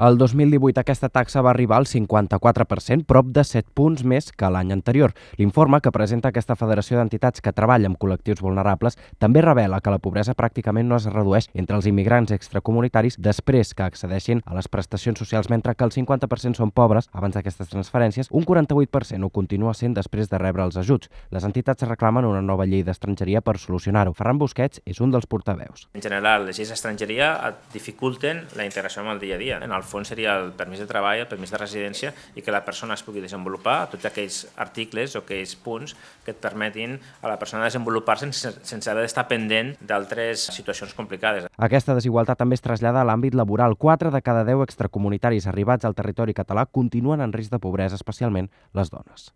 El 2018 aquesta taxa va arribar al 54%, prop de 7 punts més que l'any anterior. L'informe que presenta aquesta Federació d'Entitats que treballa amb col·lectius vulnerables també revela que la pobresa pràcticament no es redueix entre els immigrants extracomunitaris després que accedeixin a les prestacions socials, mentre que el 50% són pobres abans d'aquestes transferències, un 48% ho continua sent després de rebre els ajuts. Les entitats reclamen una nova llei d'estrangeria per solucionar-ho. Ferran Busquets és un dels portaveus. En general, les lleis d'estrangeria dificulten la integració amb el dia a dia. En el fons seria el permís de treball, el permís de residència i que la persona es pugui desenvolupar tots aquells articles o aquells punts que et permetin a la persona desenvolupar-se sense haver d'estar pendent d'altres situacions complicades. Aquesta desigualtat també es trasllada a l'àmbit laboral. 4 de cada 10 extracomunitaris arribats al territori català continuen en risc de pobresa, especialment les dones.